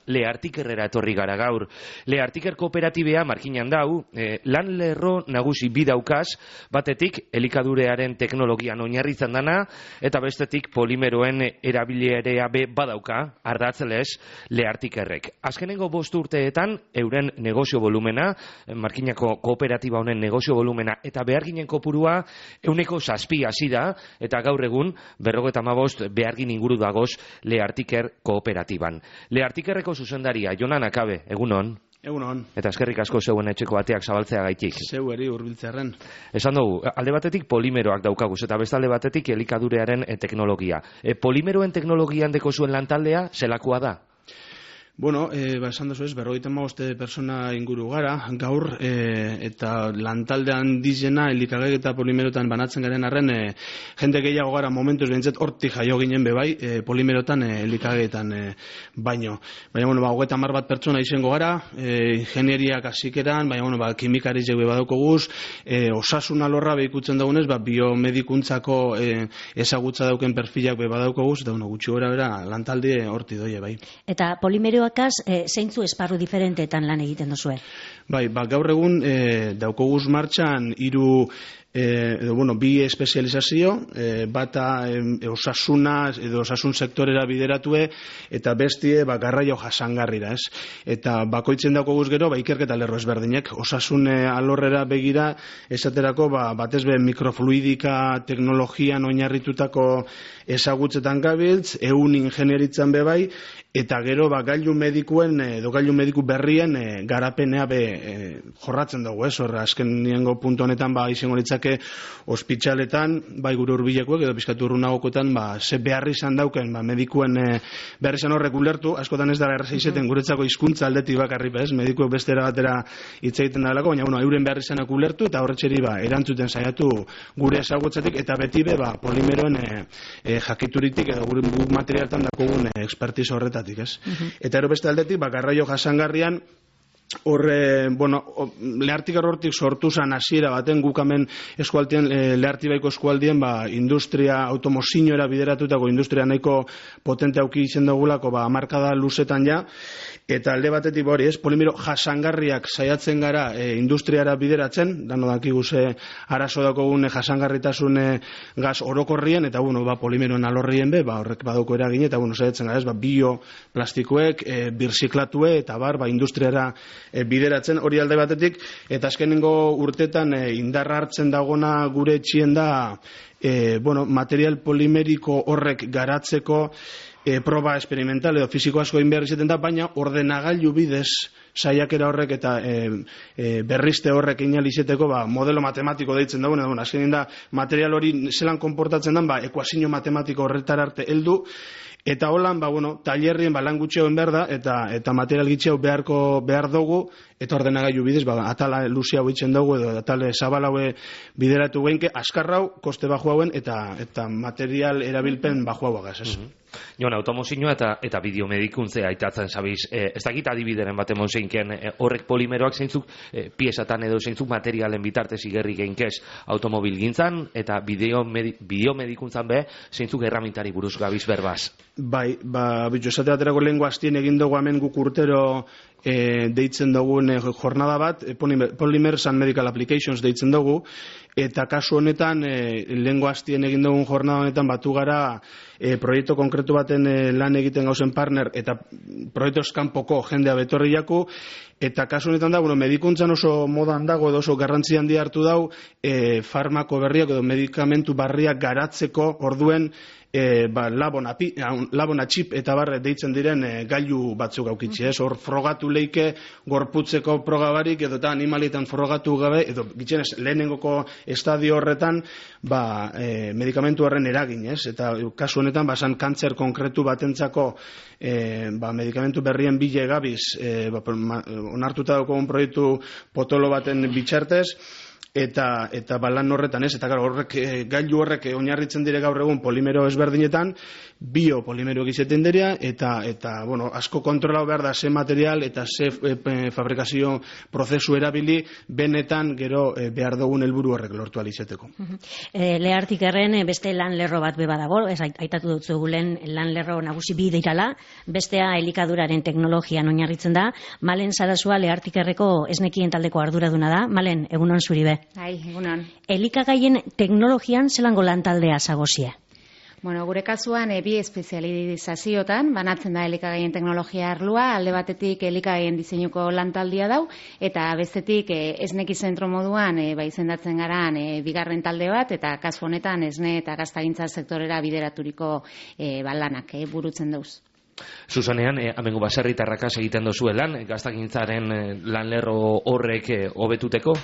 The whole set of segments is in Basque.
Leartikerrera etorri gara gaur. Leartiker kooperatibea markinan dau, lan lerro nagusi bi daukaz, batetik elikadurearen teknologian oinarritzen dana, eta bestetik polimeroen erabilerea be badauka, ardatzelez, Leartikerrek. Azkenengo 5 urteetan, euren negozio volumena, markinako kooperatiba honen negozio volumena, eta beharginen kopurua, 7 hasi da, eta gaur egun, 55 behargin inguru dagoz Leartiker kooperatiban. Leartikerreko zuzendaria, Jonan Akabe, egunon? Egunon. Eta eskerrik asko zeuen etxeko ateak zabaltzea gaitik. Zeueri hurbiltzearren. Esan dugu, alde batetik polimeroak daukaguz, eta beste alde batetik elikadurearen teknologia. Polimeroen teknologian deko zuen lantaldea, zelakoa da? Bueno, esan duzu ez, 55 persona inguru gara, gaur, eta lantaldean dizena elikagai eta polimerotan banatzen garen arren, jende gehiago gara momentuz behintzat hortik jaio ginen bebai, polimerotan elikagaietan baino. Baina, bueno, 30 bat pertsona izango gara, ingenieriak hasikeran, baina, bueno, kimikari zeue badauko guz, osasun alorra behikutzen dagunez, biomedikuntzako ezagutza dauken perfilak be badauko guz, eta, bueno, gutxi gora bera, lantalde horti doie, bai. Eta polimeroakaz, zeintzu esparru diferentetan lan egiten duzue? Bai, gaur egun daukoguz martxan 2 espezializazio, bata osasuna edo osasun sektorera bideratue eta bestie garraio jasangarrira, ez? Eta bakoitzen daukoguz gero ikerketa lerro ezberdinek, osasun alorrera begira esaterako batez be mikrofluidika teknologian oinarritutako ezagutzetan gabiltz, ehun ingenieritzan be bai, eta gero gailu medikuen edo gailu mediku berrien garapenea jorratzen dugu, ez? Horra azkenengo puntu honetan izango litzake ospitaletan, gure hurbilekoek edo pizkatu urrunagokoetan ze beharri izan dauken medikuen beharri izan horrek ulertu, askotan ez da erraza izeten guretzako hizkuntza aldetik bakarrik, ez? Medikuek bestera batera hitz egiten dalako, baina euren beharri izanak ulertu eta horretxeri erantzuten saiatu gure ezagutzetik eta beti polimeroen jakituritik edo gure materialetan dakogun expertizo horretatik, ez? Eta ero beste aldetik, garraio jasangarrian Leartiker hortik sortu zan hasiera baten gukamen eskualdien, Leartibaiko eskualdien industria automozinoera bideratutako industria nahiko potente auki izen dugulako markada luzetan ja, eta alde batetik hori, ez, polimero jasangarriak saiatzen gara industriara bideratzen, dano dakigu ze arazo dakogun jasangarritasun gaz orokorrien, eta polimeroen alorrien horrek badauko eragin, eta saiatzen gara, ez, bioplastikoek, birziklatue, eta industriara bideratzen, hori alde batetik, eta azkenengo urtetan indarra hartzen dagona gure etxien da material polimeriko horrek garatzeko proba experimental edo fisiko asko egin behar izaten da, baina ordenagailu bidez saiakera horrek eta berrizte horrek inalizeteko modelo matematiko deitzen dagoen, azkenin da material hori zelan konportatzen den, ekuazio matematiko horretar arte heldu, eta holan, tailerrien lan gutxeoen behar da, eta material gitxeo behar dugu, eta ordenagailu bidez, atala luzi hau itzen dugu, edo atale zabal haue bideratu geinke, askarrau, koste baju hauen, eta material erabilpen baju hauagaz, ez? Jon, automozinoa eta bideomedikuntzea aitatzen zabiz, ez dakit adibideren bat emon zeinken horrek polimeroak zeintzuk piezatan edo zeintzuk materialen bitartez igerri geinkez automobil gintzan, eta bideomedikuntzan zeintzuk erramintari buruz gabiz berbaz. Bai, bitxo esate baterako lehengo hastien egin dugu hemen guk urtero deitzen dugun jornada bat, Polymers and Medical Applications deitzen dugu, eta kasu honetan lehengo hastien egin dugun jornada honetan batu gara proiektu konkretu baten lan egiten gauzen partner eta proiektu eskanpoko jendea betorri jaku, eta kasu honetan da, medikuntzan oso modan dago edo oso garrantzi handia hartu dau farmako berriak edo medikamentu barriak garatzeko orduen labona txip eta barre deitzen diren gailu batzuk aukitzi, ez? Hor frogatu leike gorputzeko progabarik edo eta animalietan frogatu gabe edo gitzenez lehenengoko estadio horretan medikamentu horren eragin, ez? Eta kasu honetan basan kantzer konkretu batentzako medikamentu berrien bile gabiz onartuta daukogun proiektu potolo baten bitxartez, eta lan horretan ez, eta horrek gailu horrek oinarritzen dire gaur egun polimero ezberdinetan, biopolimeroak izaten dira, eta bueno, asko kontrolau behar da ze material eta ze fabrikazio prozesu erabili, benetan gero behar dugun helburu horrek lortu alizateko. Lehartik erren beste lan lerro bat beba dago, aitatu dut zugulen lan lerro nagusi bi dirala, bestea elikaduraren teknologian oinarritzen da. Malen Sarasua Lehartik erreko esnekien taldeko arduraduna da. Malen, egunon zuri be. Bai, egunon. Elikagaien teknologian zelango lan taldea zagozie? Bueno, gure kasuan bi espezializaziotan banatzen da elikagaien teknologia arlua, alde batetik elikagaien diseinuko lantaldia dau, eta bestetik esneki zentro moduan izendatzen garan bigarren talde bat, eta kasu honetan esne eta gaztagintza sektorera bideraturiko lanak burutzen dauz. Zuzanean, amengo baserritarrakaz egiten dozue lan, gaztagintzaren lanlerro horrek hobetuteko?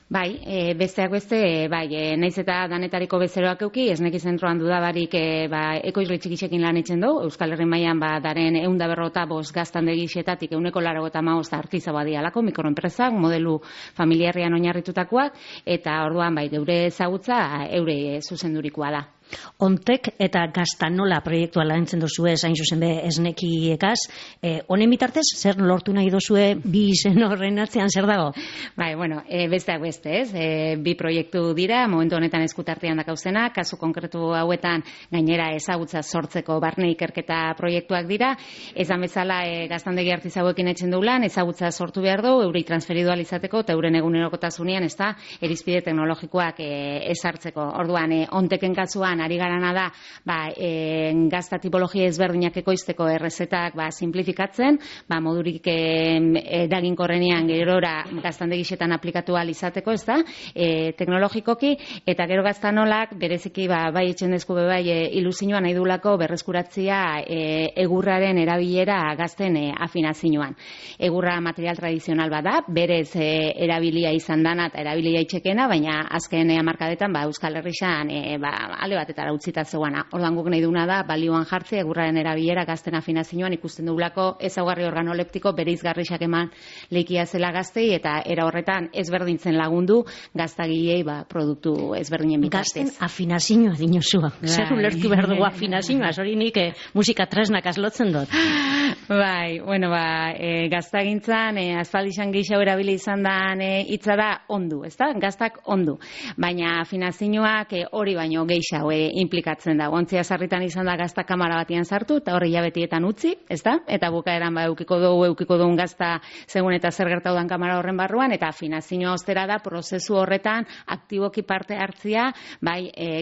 Bai, besteak beste, naiz eta danetariko bezeroak euki, esneki zentroan dudabarik ekoizle txikitzekin lan itzen du, Euskal Herri mailan daren 155 gaztandegixetatik 185 artizaua dialako mikroenpresak, modelu familiarrean oinarritutakoak, eta orduan geure ezagutza eure zuzendurikoa da. Ontek eta Gaztanola proiektua lantzen dozue, zain zuzen be esnekiekaz. Honen bitartez, zer lortu nahi dozue bi izen horren atzean zer dago? Bai, bueno, besteak beste, ez? Bi proiektu dira, momentu honetan eskutartean dakauzena, kasu konkretu hauetan gainera ezagutza sortzeko barne ikerketa proiektuak dira. Ezan bezala gaztandegi artizauekin etxen du lan, ezagutza sortu behar du, eurei transferidu alizateko, eta euren egunerokotasunean, ez da, erizpide teknologikoak ezartzeko. Orduan, onteken kasuan, ari garana da, gazta tipologia ezberdinak ekoizteko errezetak simplifikatzen, modurik eraginkorrenean gerora gaztandegixetan aplikatu alizateko, ez da, teknologikoki, eta gero Gaztanolak bereziki bai etxen dezku ilusioan nahi dulako berreskuratzia egurraren erabilera gazten afinazioan. Egurra material tradizional bada, berez erabilia izan dana eta erabilia itxekena, baina azken hamarkadetan Euskal Herrixan alde batetara utzita zegoana. Ordan guk nahi duna da balioan jartzea egurraren erabilera gazten afinazioan ikusten dugulako ezaugarri organoleptiko bereizgarriak eman leikia zela gaztei, eta era horretan ezberdintzen lagundu gaztagilei produktu ezberdinen bitartez. Gazten afinazioa dinozua. Zer ulertu behar dugu afinazioa, hori nik musika tresnak azlotzen dut. Bai, bueno, gaztagintzan aspaldixan gehiago erabili izan dan hitza da ondu, ezta? Gaztak ondu. Baina afinazioak hori baino gehiago implikatzen da. Ontzia sarritan izan da gazta kamara batian sartu, eta horri jabetietan utzi, ezta? Eta bukaeran eukiko dugun gazta segun eta zer gertaudan kamara horren barruan, eta afinazioa ostera da prozesu horretan aktiboki parte hartzia,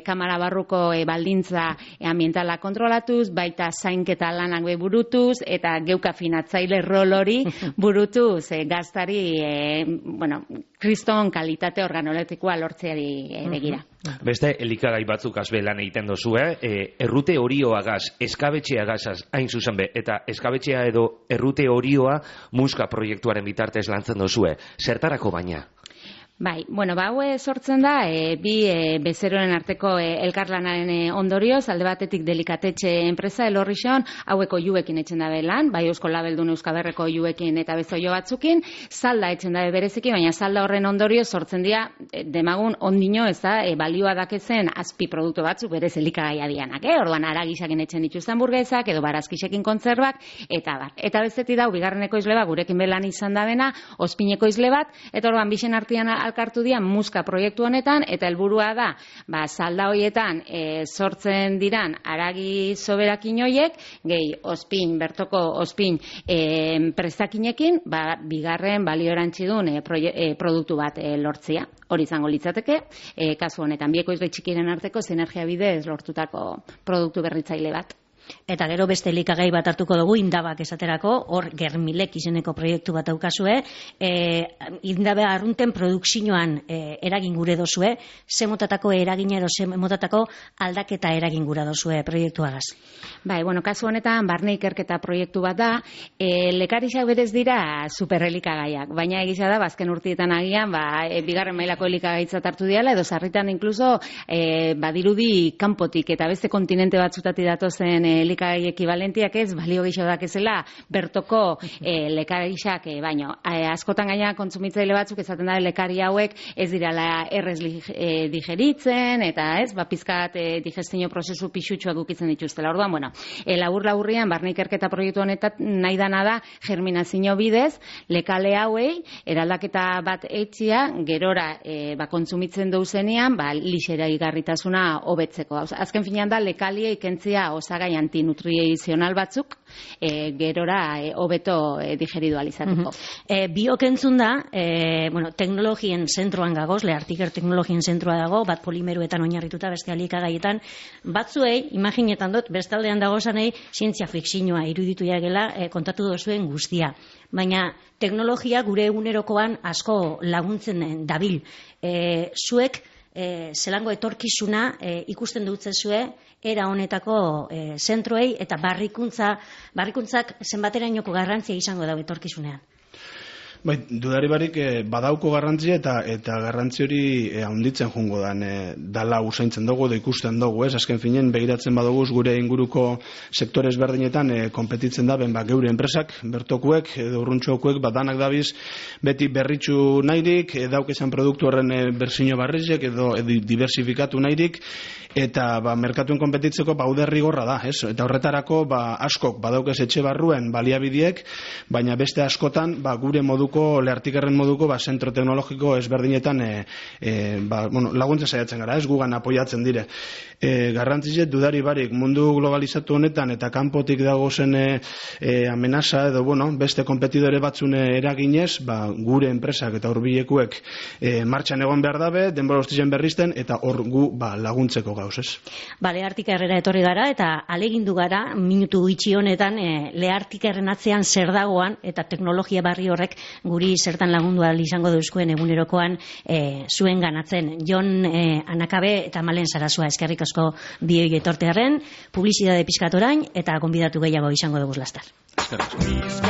kamara barruko baldintza ambientala kontrolatuz, baita zainketa lanak burutuz, eta geuk afinatzaile rol hori burutuz gaztari, kriston kalitate organoletikoa lortzeari begira. Beste elikagai batzuk azbe lan egiten dozue, errute horioagaz, eskabetxeagaz hain zuzen be, eta eskabetxea edo errute horioa muska proiektuaren bitartez lantzen dozue. Zertarako baina? Bai, bueno, haue sortzen da, bi bezeroen arteko elkarlanaren ondorioz, alde batetik delikatetxe enpresa, Elorrixon, haueko juekin etxen dabe lan, bai Eusko Labeldun Euskaberreko juekin eta bezoio batzukin, salda etxen dabe bereziki, baina salda horren ondorioz sortzen dira, demagun ondino, ez da, balioa dakezen azpi produktu batzuk berez elikagaia dianak, orduan aragisakin etxen dituzten burgezak, edo barazkisekin kontzerbak, eta bar. Eta bestetik dau, bigarren ekoizle bat, gurekin belan izan dabena, ospineko izle bat, eta orduan bixen artean alkartu dian muska proiektu honetan, eta helburua da, salda hoietan sortzen diran aragi soberakin hoiek, gehi ospin, bertoko ospin prestakinekin, bigarren baliorantxidun produktu bat lortzia. Hori izango litzateke, kasu honetan, bieko izle txikiren arteko sinergia bidez lortutako produktu berritzaile bat. Eta gero beste elikagai bat hartuko dugu, indabak esaterako, hor Germilek izeneko proiektu bat daukazue, indabe arrunten produkzioan eragin gure dozue, ze motatako eragina edo ze motatako aldaketa eragin gura dozue proiektuagaz? Bai, bueno, kasu honetan barne ikerketa proiektu bat da, lekarixak berez dira superelikagaiak, baina egisa da, bazken urtietan agian, bigarren mailako elikagaitzat hartu diala, edo sarritan inkluso badirudi kanpotik eta beste kontinente batzutati datozen elikagai ekibalentiak ez, balio gehiago dakezela bertoko lekarixak, baino, askotan gaina kontsumitzaile batzuk esaten da lekari hauek ez dirala errez digeritzen, eta ez, pizkat digestio prozesu pixutxoak ukitzen dituztela. Orduan, bueno, labur-laburrian, barne ikerketa proiektu honetan nahi dana da germinazio bidez, lekale hauei, eraldaketa bat etxia, gerora kontsumitzen duzenean, lixera igarritasuna hobetzeko. Azken finean da, lekalie ikentzia osagai antinutrizional batzuk, gerora hobeto digeridu alizateko. Biok entzun da, teknologien zentroan gagoz, Leartiker teknologien zentroa dago, bat polimeruetan oinarrituta, beste alikagaietan, batzuei, imaginetan dut, bestaldean dagozanei, zientzia fikzioa iruditu jagela kontatu dozuen guztia. Baina teknologia gure egunerokoan asko laguntzen dabil. Zuek zelango etorkizuna ikusten dutzezue era honetako zentroei eta barrikuntzak zenbaterainoko garrantzia izango dago etorkizunean. Bai, dudari barik badauko garrantzia eta garrantzi hori handitzen jungo dala usaintzen dugu da ikusten dugu, ez? Azken finen begiratzen baduguz gure inguruko sektore ezberdinetan konpetitzen da geure enpresak, bertokuek edo urruntxokuek danak dabiz beti berritxu nahirik, daukezan produktu horren berzino barrizek edo diversifikatu nahirik, eta merkatuen konpetitzeko bauderri gorra da, ez? Eta horretarako askok badaukez etxe barruen baliabideek, baina beste askotan gure moduko, Leartikerren moduko zentro teknologiko ezberdinetan laguntza saiatzen gara, ez gugan apoiatzen dire. Garrantzizet dudari barik mundu globalizatu honetan eta kanpotik dagozen amenaza edo beste kompetidore batzune eraginez, gure enpresak eta hurbilekuek martxan egon behar dabe, denbora ostizen berrizten eta hor gu laguntzeko gauz, ez? Leartikerrera etorri gara eta alegindu gara minutu itxi honetan Leartikerren atzean zer dagoan eta teknologia barri horrek guri zertan lagundu ahal izango duzkuen egunerokoan zuen ganatzen. Jon Anakabe eta Malen Sarasua eskerrik asko bioi etortearen, publizitate pixkat orain eta gonbidatu gehiago izango dugu lastar. Eskerrik asko.